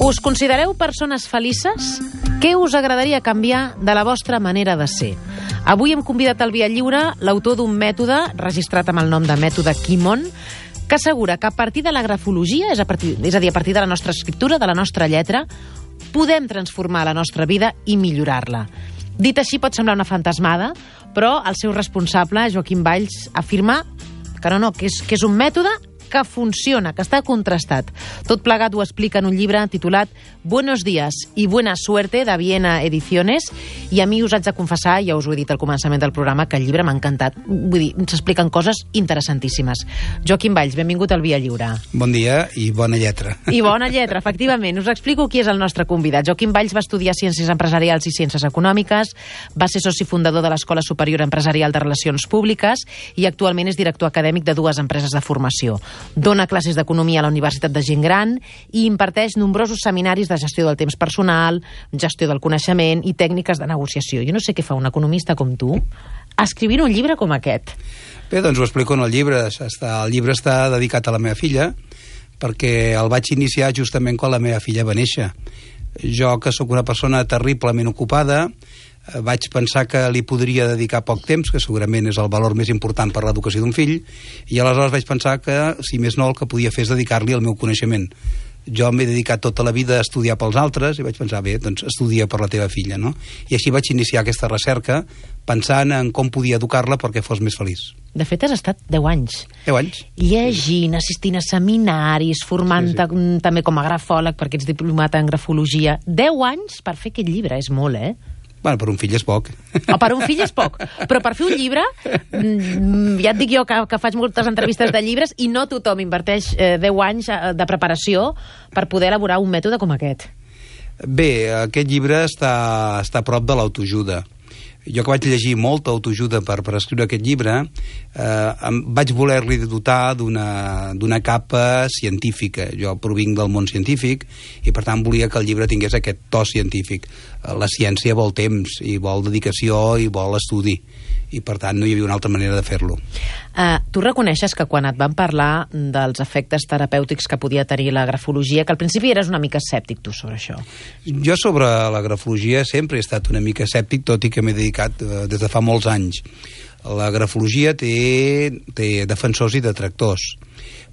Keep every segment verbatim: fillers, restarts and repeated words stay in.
Us considereu persones felices? Què us agradaria canviar de la vostra manera de ser? Avui hem convidat al Via Lliure l'autor d'un mètode, registrat amb el nom de mètode Kimon, que assegura que a partir de la grafologia, és a, partir, és a dir, a partir de la nostra escriptura, de la nostra lletra, podem transformar la nostra vida i millorar-la. Dit així pot semblar una fantasmada, però el seu responsable, Joaquim Valls, afirma que no, no, que és, que és un mètode que funciona, que està contrastat. Tot plegat ho explica en un llibre titulat Buenos días y buena suerte, de Viena Ediciones, i a mi us haig de confessar, ja us ho he dit al començament del programa, que el llibre m'ha encantat. Vull dir, s'expliquen coses interessantíssimes. Joaquim Valls, benvingut al Via Lliure. Bon dia i bona lletra. I bona lletra, efectivament. Us explico qui és el nostre convidat. Joaquim Valls va estudiar Ciències Empresarials i Ciències Econòmiques, va ser soci fundador de l'Escola Superior Empresarial de Relacions Públiques i actualment és director acadèmic de dues empreses de formació. Dona classes d'economia a la Universitat de Gent Gran i imparteix nombrosos seminaris de gestió del temps personal, gestió del coneixement i tècniques de negociació. Jo no sé què fa un economista com tu escrivint un llibre com aquest. Bé, doncs ho explico en el llibre. Està, el llibre està dedicat a la meva filla perquè el vaig iniciar justament quan la meva filla va néixer. Jo, que sóc una persona terriblement ocupada, vaig pensar que li podria dedicar poc temps, que segurament és el valor més important per l'educació d'un fill, i aleshores vaig pensar que, si més no, el que podia fer és dedicar-li el meu coneixement. Jo m'he dedicat tota la vida a estudiar pels altres i vaig pensar, bé, doncs estudia per la teva filla, no? I així vaig iniciar aquesta recerca pensant en com podia educar-la perquè fos més feliç. De fet, has estat deu anys. Deu anys. Llegint, assistint a seminaris, formant-te sí, sí. també com a grafòleg, perquè ets diplomat en grafologia. Deu anys per fer aquest llibre, és molt, eh? Bueno, per un fill és poc. O per un fill és poc. Però per fer un llibre, ja et dic jo que, que faig moltes entrevistes de llibres i no tothom inverteix eh, deu anys de preparació per poder elaborar un mètode com aquest. Bé, aquest llibre està, està a prop de l'autoajuda. Jo que vaig llegir molta autoajuda per, per escriure aquest llibre, eh, vaig voler-li dotar d'una d'una capa científica. Jo provinc del món científic i, per tant, volia que el llibre tingués aquest to científic. La ciència vol temps, i vol dedicació, i vol estudi. I, per tant, no hi havia una altra manera de fer-lo. Uh, tu reconeixes que quan et van parlar dels efectes terapèutics que podia tenir la grafologia, que al principi eres una mica escèptic, tu, sobre això? Jo sobre la grafologia sempre he estat una mica escèptic, tot i que m'he dedicat uh, des de fa molts anys. La grafologia té, té defensors i detractors.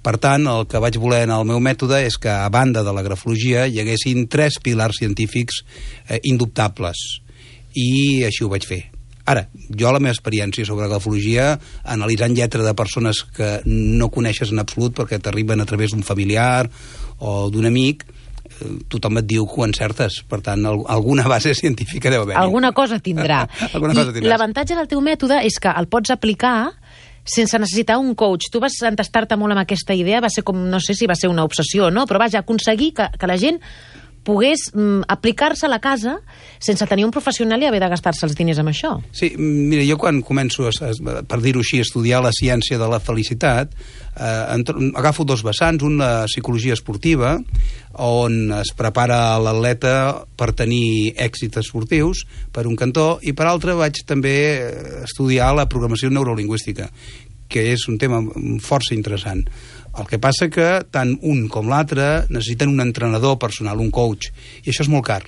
Per tant, el que vaig voler en el meu mètode és que, a banda de la grafologia, hi haguessin tres pilars científics eh, indubtables. I així ho vaig fer. Ara, jo la meva experiència sobre grafologia, analitzant lletra de persones que no coneixes en absolut perquè t'arriben a través d'un familiar o d'un amic, tothom et diu que ho encertes. Per tant, alguna base científica deu haver-hi. Alguna cosa tindrà. Alguna cosa tindràs. L'avantatge del teu mètode és que el pots aplicar sense necessitar un coach. Tu vas entestar-te molt amb aquesta idea, va ser com, no sé si va ser una obsessió, no? Però vaja, aconseguir que, que la gent pogués mm, aplicar-se a la casa sense tenir un professional i haver de gastar-se els diners amb això. Sí, mira, jo quan començo, a, per dir-ho així, a estudiar la ciència de la felicitat, eh, agafo dos vessants, un la psicologia esportiva, on es prepara l'atleta per tenir èxits esportius, per un cantó, i per altre vaig també estudiar la programació neurolingüística, que és un tema força interessant. El que passa que tant un com l'altre necessiten un entrenador personal, un coach, i això és molt car.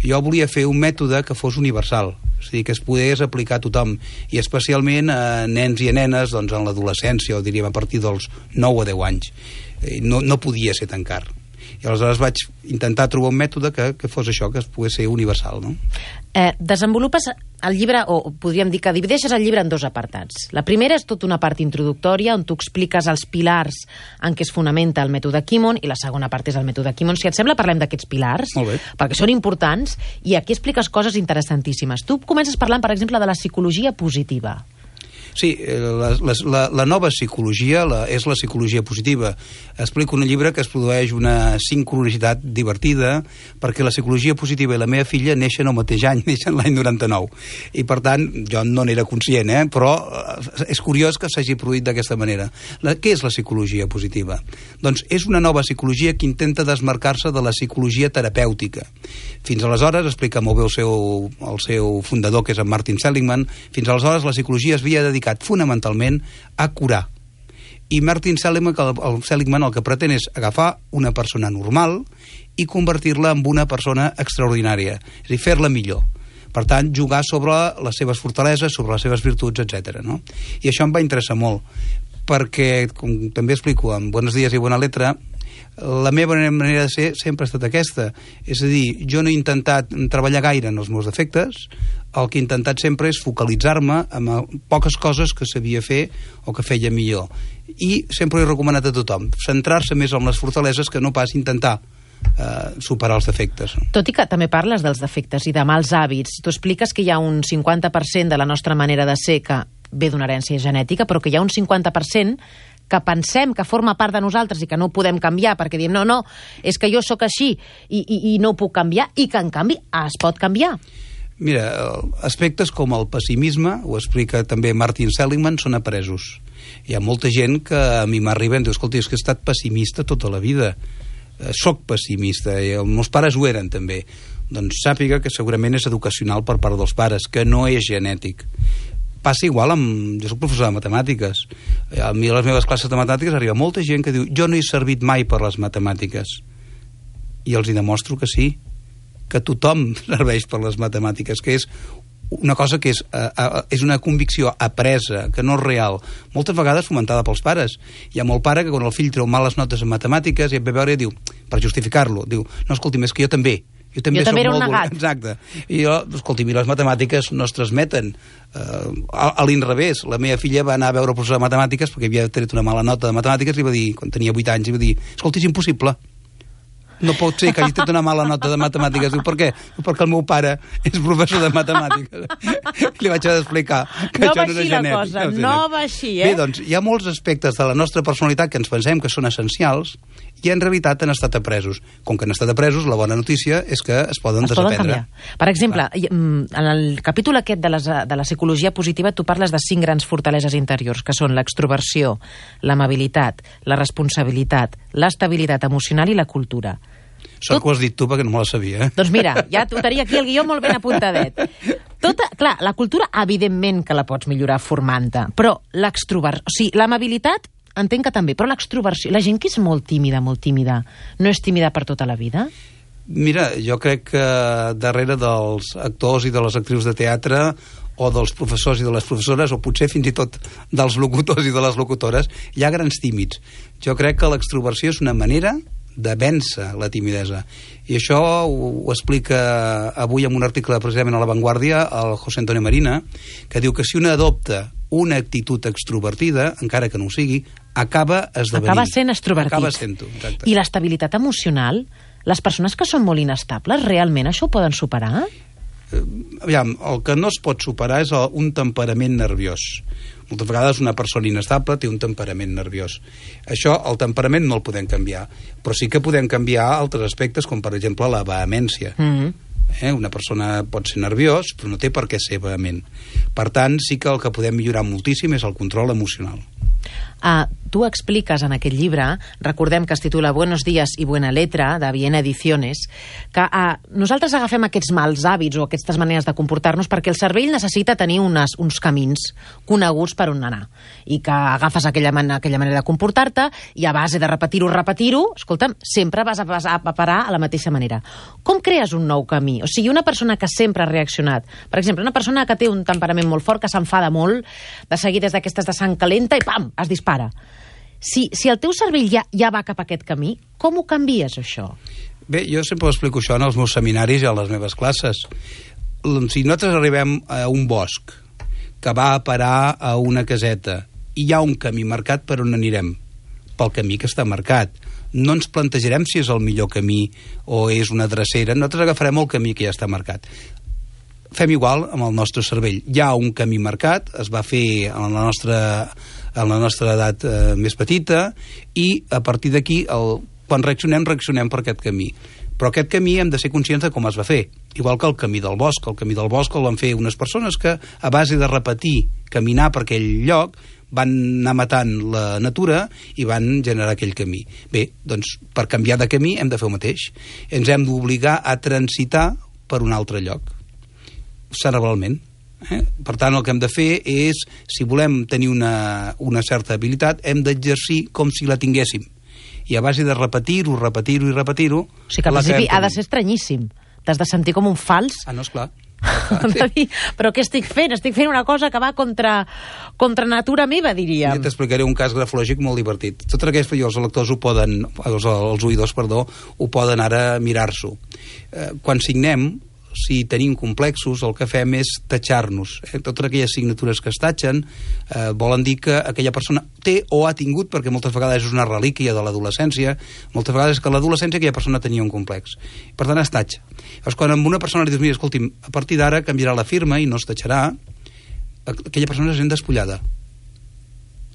Jo volia fer un mètode que fos universal, és a dir, que es pogués aplicar a tothom, i especialment a nens i a nenes doncs, en l'adolescència, o diríem a partir dels nou a deu anys. No, no podia ser tan car. I aleshores vaig intentar trobar un mètode que, que fos això, que es pogués ser universal, no? Eh, desenvolupes el llibre, o podríem dir que divideixes el llibre en dos apartats. La primera és tota una part introductòria, on tu expliques els pilars en què es fonamenta el mètode Kimon, i la segona part és el mètode Kimon. Si et sembla, parlem d'aquests pilars, perquè són importants, i aquí expliques coses interessantíssimes. Tu comences parlant, per exemple, de la psicologia positiva. Sí, la, la, la nova psicologia la, és la psicologia positiva. Explico en un llibre que es produeix una sincronicitat divertida perquè la psicologia positiva i la meva filla neixen al mateix any, neixen l'any noranta-nou. I, per tant, jo no n'era conscient, eh? Però és curiós que s'hagi produït d'aquesta manera. La, què és la psicologia positiva? Doncs és una nova psicologia que intenta desmarcar-se de la psicologia terapèutica. Fins aleshores, explica molt bé el seu, el seu fundador, que és en Martin Seligman, fins aleshores la psicologia es havia dedicat fonamentalment a curar. I Martin Seligman el, el Seligman el que pretén és agafar una persona normal i convertir-la en una persona extraordinària, és a dir, fer-la millor. Per tant, jugar sobre les seves fortaleses, sobre les seves virtuts, etcètera. No? I això em va interessar molt, perquè, com també explico en Buenos Días i Buena Letra, la meva manera de ser sempre ha estat aquesta. És a dir, jo no he intentat treballar gaire en els meus defectes, el que he intentat sempre és focalitzar-me en poques coses que sabia fer o que feia millor. I sempre he recomanat a tothom centrar-se més en les fortaleses que no pas intentar eh, superar els defectes. Tot i que també parles dels defectes i de mals hàbits, tu expliques que hi ha un cinquanta per cent de la nostra manera de ser que ve d'una herència genètica, però que hi ha un cinquanta per cent que pensem que forma part de nosaltres i que no ho podem canviar, perquè diem, no, no, és que jo sóc així i, i, i no ho puc canviar, i que en canvi es pot canviar. Mira, aspectes com el pessimisme, ho explica també Martin Seligman, són apresos. Hi ha molta gent que a mi m'arriba i diu, escolta, és que he estat pessimista tota la vida, eh, soc pessimista, i els meus pares ho eren també. Doncs sàpiga que segurament és educacional per part dels pares, que no és genètic. Passa igual amb... Jo soc professor de matemàtiques. A mi a les meves classes de matemàtiques arriba molta gent que diu jo no he servit mai per les matemàtiques. I els hi demostro que sí, que tothom serveix per les matemàtiques, que és una cosa que és, uh, és una convicció apresa, que no és real. Moltes vegades fomentada pels pares. Hi ha molt pare que quan el fill treu males notes en matemàtiques i et ve a veure i diu, per justificar-lo, diu, no, escolti, és que jo també... Jo també, jo també era un molt negat. Exacte. I jo, escolti, les matemàtiques no es transmeten. Uh, a, a l'inrevés, la meva filla va anar a veure el professor de matemàtiques perquè havia tret una mala nota de matemàtiques i va dir, quan tenia vuit anys, i va dir, escolti, és impossible. No pot ser que hagi tret una mala nota de matemàtiques. Diu, per què? Perquè el meu pare és professor de matemàtiques. Li vaig haver d'explicar que no això no era genètic. No va així la cosa, no va així, eh? Bé, doncs, hi ha molts aspectes de la nostra personalitat que ens pensem que són essencials i en realitat han estat apresos. Com que han estat apresos, la bona notícia és que es poden es desaprendre. Poden canviar. Per exemple, Clar. en el capítol aquest de, les, de la psicologia positiva tu parles de cinc grans fortaleses interiors, que són l'extroversió, l'amabilitat, la responsabilitat, l'estabilitat emocional i la cultura. Sort que ho has dit tu, perquè no me la sabia. Eh? Doncs mira, ja ho tenia aquí el guió molt ben apuntadet. Tota, clar, la cultura, evidentment que la pots millorar formant-te, però l'extroversió, o sigui, l'amabilitat, entenc que també, però l'extroversió, la gent que és molt tímida, molt tímida, no és tímida per tota la vida? Mira, jo crec que darrere dels actors i de les actrius de teatre o dels professors i de les professores, o potser fins i tot dels locutors i de les locutores, hi ha grans tímids. Jo crec que l'extroversió és una manera de vèncer la timidesa. I això ho, ho explica avui en un article precisament a La Vanguardia el José Antonio Marina, que diu que si una adopta una actitud extrovertida, encara que no ho sigui, acaba esdevenint. Acaba sent extrovertit. Acaba sent-ho, exacte. I l'estabilitat emocional, les persones que són molt inestables, realment això ho poden superar? Eh, aviam, el que no es pot superar és el, un temperament nerviós. Moltes vegades una persona inestable té un temperament nerviós. Això, el temperament no el podem canviar, però sí que podem canviar altres aspectes, com per exemple la vehemència. Mm-hmm. Eh? Una persona pot ser nerviós, però no té per què ser vehement. Per tant, sí que el que podem millorar moltíssim és el control emocional. Uh, tu expliques en aquest llibre, recordem que es titula Buenos Días y Buena Letra, de Viena Ediciones, que uh, nosaltres agafem aquests mals hàbits o aquestes maneres de comportar-nos perquè el cervell necessita tenir unes, uns camins coneguts per on anar, i que agafes aquella, man aquella manera de comportar-te i a base de repetir-ho, repetir-ho, escolta'm, sempre vas a, a, a parar a la mateixa manera. Com crees un nou camí? O sigui, una persona que sempre ha reaccionat, per exemple, una persona que té un temperament molt fort, que s'enfada molt, de seguir des d'aquestes de sang calenta i pam, es dispara. Si, si el teu cervell ja, ja va cap a aquest camí, com ho canvies, això? Bé, jo sempre ho explico això en els meus seminaris i a les meves classes. Si nosaltres arribem a un bosc que va a parar a una caseta i hi ha un camí marcat per on anirem, pel camí que està marcat, no ens plantejarem si és el millor camí o és una drecera, nosaltres agafarem el camí que ja està marcat. Fem igual amb el nostre cervell. Hi ha un camí marcat, es va fer en la nostra, en la nostra edat eh, més petita, i a partir d'aquí, quan reaccionem, reaccionem per aquest camí. Però aquest camí hem de ser conscients de com es va fer. Igual que el camí del bosc. El camí del bosc el van fer unes persones que, a base de repetir, caminar per aquell lloc, van anar matant la natura i van generar aquell camí. Bé, doncs, per canviar de camí hem de fer el mateix. Ens hem d'obligar a transitar per un altre lloc, cerebralment. Eh? Per tant, el que hem de fer és, si volem tenir una, una certa habilitat, hem d'exercir com si la tinguéssim. I a base de repetir-ho, repetir-ho i repetir-ho... O sigui que al principi ha de ser estranyíssim. T'has de sentir com un fals. Ah, no, esclar. Sí. Però què estic fent? Estic fent una cosa que va contra, contra natura meva, diríem. Ja t'explicaré un cas grafològic molt divertit. Tot aquest, els lectors ho poden, els, els oïdors, perdó, ho poden ara mirar-s'ho. Eh, quan signem, si tenim complexos, el que fem és tatxar-nos. Eh? Totes aquelles signatures que es tatxen eh, volen dir que aquella persona té o ha tingut, perquè moltes vegades és una relíquia de l'adolescència, moltes vegades que a l'adolescència aquella persona tenia un complex. Per tant, es tatxa. Llavors, quan a una persona li dius, mira, escolti'm, a partir d'ara canviarà la firma i no es tatxarà, aquella persona se sent despullada.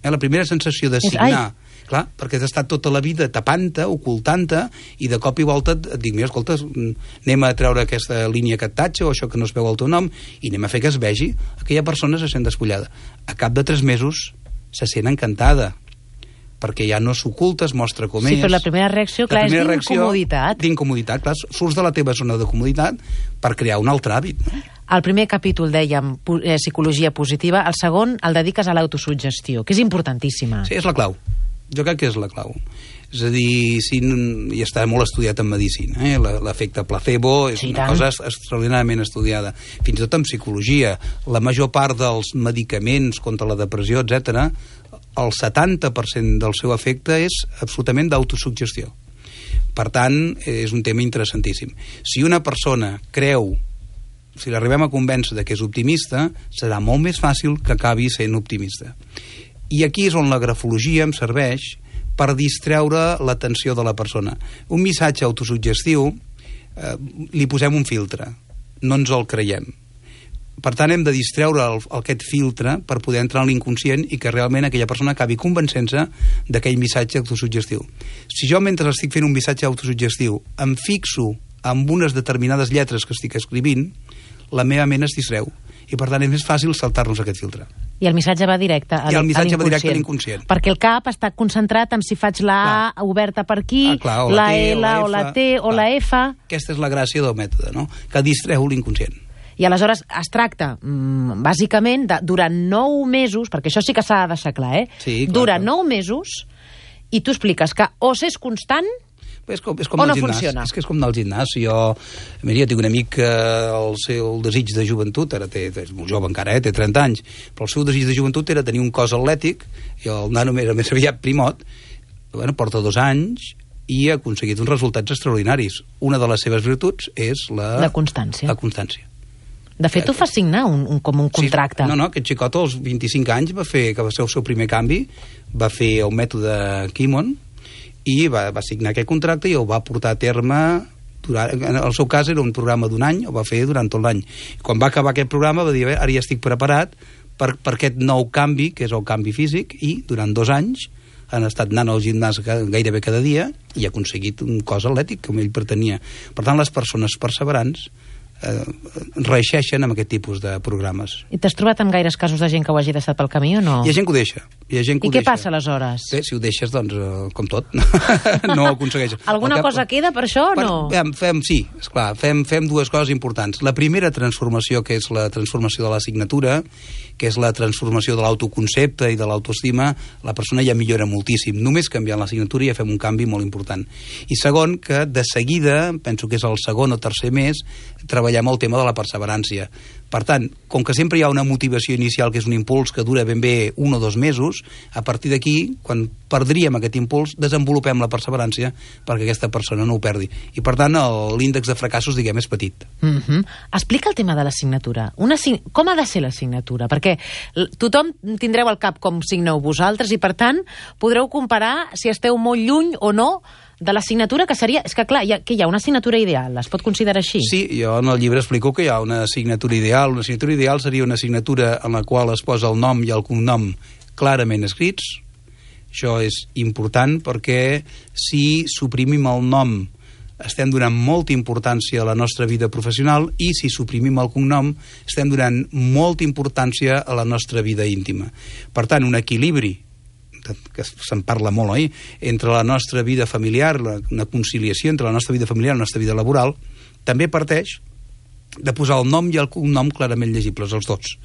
Eh? La primera sensació de signar... Clar, perquè has estat tota la vida tapant-te, ocultant-te, i de cop i volta et dic, mira, escolta, anem a treure aquesta línia que et tatxa, o això que no es veu el teu nom, i anem a fer que es vegi. Aquella persona se sent despullada. A cap de tres mesos se sent encantada, perquè ja no s'oculta, es mostra com sí, és. Sí, però la primera reacció, clar, és d'incomoditat. D'incomoditat, clar, surts de la teva zona de comoditat per crear un altre hàbit, no? El primer capítol, dèiem, eh, psicologia positiva, el segon el dediques a l'autosuggestió, que és importantíssima. Sí, és la clau. Jo crec que és la clau. És a dir, si, i està molt estudiat en medicina, eh? L'efecte placebo és sí, una tant. cosa extraordinàriament estudiada. Fins i tot en psicologia. La major part dels medicaments contra la depressió, etcètera, el setanta per cent del seu efecte és absolutament d'autosuggestió. Per tant, és un tema interessantíssim. Si una persona creu, si l'arribem a convèncer de que és optimista, serà molt més fàcil que acabi sent optimista. I aquí és on la grafologia em serveix per distreure l'atenció de la persona. Un missatge autosuggestiu, eh, li posem un filtre, no ens el creiem. Per tant, hem de distreure el, aquest filtre per poder entrar en l'inconscient i que realment aquella persona acabi convencent-se d'aquell missatge autosuggestiu. Si jo, mentre estic fent un missatge autosuggestiu, em fixo en unes determinades lletres que estic escrivint, la meva ment es distreu. I, per tant, és més fàcil saltar-nos aquest filtre. I el missatge va directe a, I el missatge a va directe a l'inconscient. Perquè el cap està concentrat en si faig la A clar. oberta per aquí, ah, clar, la, la T, L, o la, F, o la T, o clar. la F... Aquesta és la gràcia del mètode, no? Que distreu l'inconscient. I aleshores es tracta, mmm, bàsicament, de, durant nou mesos, perquè això sí que s'ha de deixar clar, eh? Sí, clar, durant clar. nou mesos, i tu expliques que o s'és constant... És com, és com o no gimnàs. funciona? És que és com del gimnàs. Jo, mira, jo tinc un amic que el seu desig de joventut, ara té, és molt jove encara, eh, té trenta anys, però el seu desig de joventut era tenir un cos atlètic, i el nano era més aviat primot, bueno, porta dos anys i ha aconseguit uns resultats extraordinaris. Una de les seves virtuts és la... La constància. La constància. De fet, tu fas signar un, un, com un contracte. Sí, no, no, aquest xicot als vint-i-cinc anys va fer, que va ser el seu primer canvi, va fer el mètode Kimon, i va, va signar aquest contracte i el va portar a terme durant, en el seu cas era un programa d'un any, el va fer durant tot l'any. Quan va acabar aquest programa va dir, ara ja estic preparat per, per aquest nou canvi, que és el canvi físic, i durant dos anys han estat anant al gimnàs gairebé cada dia i ha aconseguit un cos atlètic com ell pretenia. Per tant, les persones perseverants eh, reeixeixen amb aquest tipus de programes. I t'has trobat amb gaires casos de gent que ho hagi deixat pel camí o no? Hi ha gent que ho deixa. Hi ha gent que I ho què deixa. passa aleshores? Bé, si ho deixes, doncs, eh, com tot, no ho aconsegueixes. Alguna que... cosa queda per això o per, no? Fem, fem, sí, esclar, fem, fem dues coses importants. La primera transformació, que és la transformació de la signatura, que és la transformació de l'autoconcepte i de l'autoestima, la persona ja millora moltíssim. Només canviant la signatura ja fem un canvi molt important. I segon, que de seguida, penso que és el segon o tercer mes, treballem el tema de la perseverància. Per tant, com que sempre hi ha una motivació inicial que és un impuls que dura ben bé un o dos mesos, a partir d'aquí, quan perdríem aquest impuls, desenvolupem la perseverància perquè aquesta persona no ho perdi. I per tant, l'índex de fracassos, diguem, és petit. Mm-hmm. Explica el tema de la signatura. Una sig... Com ha de ser la signatura? Perquè tothom tindreu al cap com signeu vosaltres i, per tant, podreu comparar si esteu molt lluny o no de la signatura, que seria... És que, clar, hi ha, que hi ha una signatura ideal, es pot considerar així? Sí, jo en el llibre explico que hi ha una signatura ideal. Una signatura ideal seria una signatura en la qual es posa el nom i el cognom clarament escrits. Això és important perquè si suprimim el nom estem donant molta importància a la nostra vida professional i si suprimim el cognom estem donant molta importància a la nostra vida íntima. Per tant, un equilibri que se'n parla molt, oi? Entre la nostra vida familiar, la, una conciliació entre la nostra vida familiar i la nostra vida laboral, també parteix de posar el nom i el cognom clarament llegibles, els dos.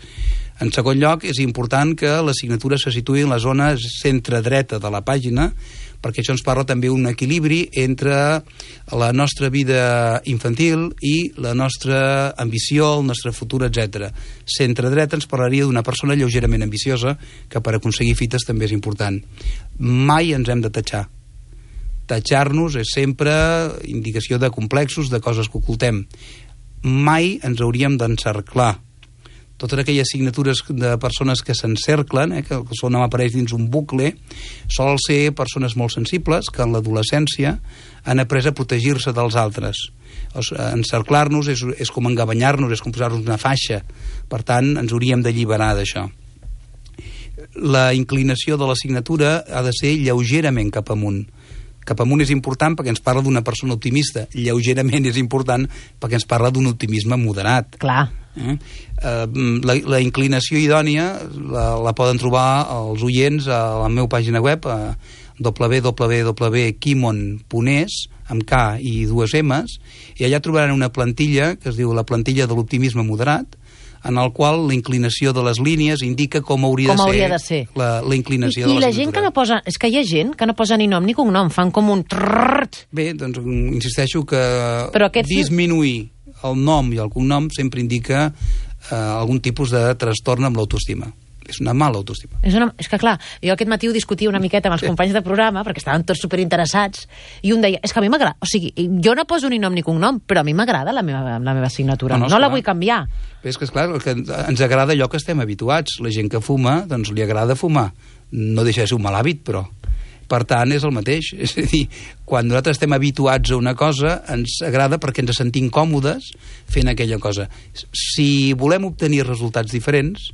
En segon lloc, és important que la signatura se situï en la zona centre-dreta de la pàgina, perquè això ens parla també d'un equilibri entre la nostra vida infantil i la nostra ambició, el nostre futur, etcètera. Centre-dreta ens parlaria d'una persona lleugerament ambiciosa, que per aconseguir fites també és important. Mai ens hem de tatxar. Tatxar-nos és sempre indicació de complexos, de coses que ocultem. Mai ens hauríem d'encerclar. Totes aquelles signatures de persones que s'encerclen, eh, que el seu nom apareix dins un bucle, solen ser persones molt sensibles que en l'adolescència han après a protegir-se dels altres. Encerclar-nos és, és com engabanyar-nos, és com posar-nos una faixa. Per tant, ens hauríem d'alliberar d'això. La inclinació de la signatura ha de ser lleugerament cap amunt. Cap amunt és important perquè ens parla d'una persona optimista. Lleugerament és important perquè ens parla d'un optimisme moderat. Clar. Eh? La, la inclinació idònia la, la poden trobar els oients a la meva pàgina web, a w w w punt kimon punt es, amb K i dues M's, i allà trobaran una plantilla que es diu la plantilla de l'optimisme moderat, en el qual la inclinació de les línies indica com hauria, com de, hauria ser de ser la, la inclinació I, de i la la gent que no posa, és que hi ha gent que no posa ni nom ni cognom, fan com un trrrt. Bé, doncs insisteixo que aquests... disminuir el nom i el cognom sempre indica eh, algun tipus de trastorn amb l'autoestima. És una mala autoestima. És, una, és que clar, jo aquest matí ho discutia una miqueta amb els companys de programa, perquè estaven tots superinteressats, i un deia, és que a mi m'agrada, o sigui, jo no poso ni nom ni cognom, però a mi m'agrada la meva, la meva signatura, no, no, no la vull canviar. Bé, és que, esclar, que ens agrada allò que estem habituats. La gent que fuma, doncs li agrada fumar. No deixa de ser un mal hàbit, però... Per tant, és el mateix. És a dir, quan nosaltres estem habituats a una cosa, ens agrada perquè ens sentim còmodes fent aquella cosa. Si volem obtenir resultats diferents,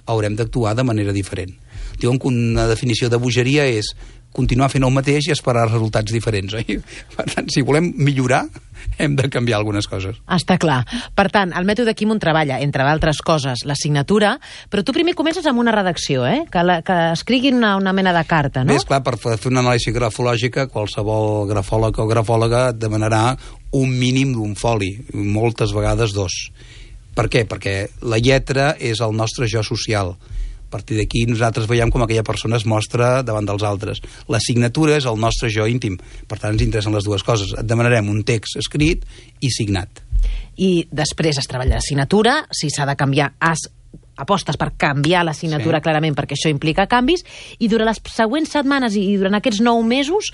haurem d'actuar de manera diferent. Diuen que una definició de bogeria és continuar fent el mateix i esperar resultats diferents, oi? Per tant, si volem millorar, hem de canviar algunes coses. Està clar. Per tant, el mètode Kimon treballa, entre d'altres coses, la signatura, però tu primer comences amb una redacció, eh? Que, la, que escriguin una, una mena de carta, no? Bé, esclar, per fer una anàlisi grafològica, qualsevol grafòleg o grafòloga et demanarà un mínim d'un foli, moltes vegades dos. Per què? Perquè la lletra és el nostre jo social. A partir d'aquí nosaltres veiem com aquella persona es mostra davant dels altres. La signatura és el nostre jo íntim. Per tant, ens interessen les dues coses. Et demanarem un text escrit i signat. I després es treballa la signatura, si s'ha de canviar, has apostes per canviar la signatura, sí, clarament, perquè això implica canvis, i durant les següents setmanes i durant aquests nou mesos,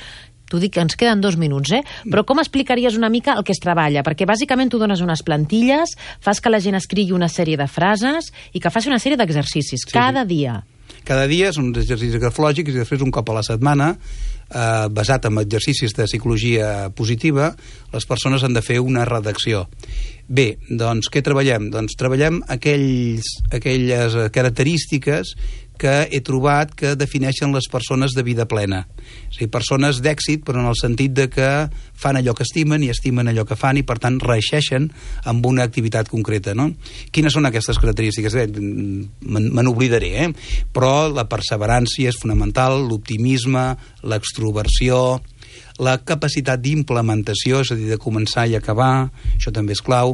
t'ho dic que ens queden dos minuts, eh? Però com explicaries una mica el que es treballa? Perquè bàsicament tu dones unes plantilles, fas que la gent escrigui una sèrie de frases i que faci una sèrie d'exercicis, sí, cada sí. dia. Cada dia són uns exercicis grafològics i després un cop a la setmana, eh, basat en exercicis de psicologia positiva, les persones han de fer una redacció. Bé, doncs què treballem? Doncs treballem aquells, aquelles característiques que he trobat que defineixen les persones de vida plena. És a dir, persones d'èxit, però en el sentit de que fan allò que estimen i estimen allò que fan i, per tant, reeixeixen amb una activitat concreta, no? Quines són aquestes característiques? Bé, me n'oblidaré, eh? Però la perseverància és fonamental, l'optimisme, l'extroversió, la capacitat d'implementació, és a dir, de començar i acabar, això també és clau,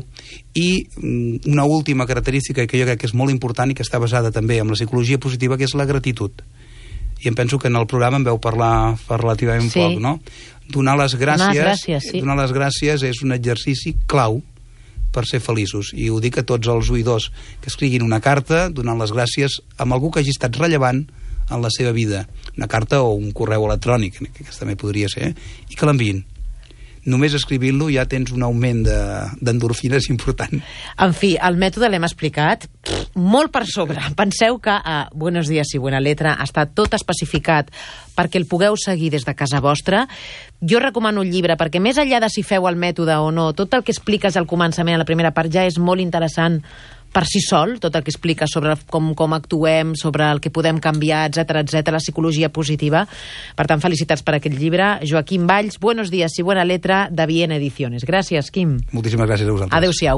i una última característica que jo crec que és molt important i que està basada també en la psicologia positiva, que és la gratitud. I em penso que en el programa en veu parlar fa relativament sí. poc, no? Donar les gràcies, donar les gràcies, sí. donar les gràcies és un exercici clau per ser feliços. I ho dic a tots els oïdors que escriguin una carta donant les gràcies a algú que hagi estat rellevant en la seva vida, una carta o un correu electrònic, que aquest també podria ser, eh? I que l'enviïn. Només escrivint-lo ja tens un augment d'endorfines de, important. En fi, el mètode l'hem explicat pff, molt per sobre. Penseu que a Buenos Días i Buena Letra està tot especificat perquè el pugueu seguir des de casa vostra. Jo recomano un llibre perquè més enllà de si feu el mètode o no, tot el que expliques al començament, a la primera part, ja és molt interessant per si sol, tot el que explica sobre com, com actuem, sobre el que podem canviar, etcètera, etcètera, la psicologia positiva. Per tant, felicitats per aquest llibre. Joaquim Valls, Buenos Días y Buena Letra, de Viena Ediciones. Gràcies, Quim. Moltíssimes gràcies a vosaltres. Adéu-siau.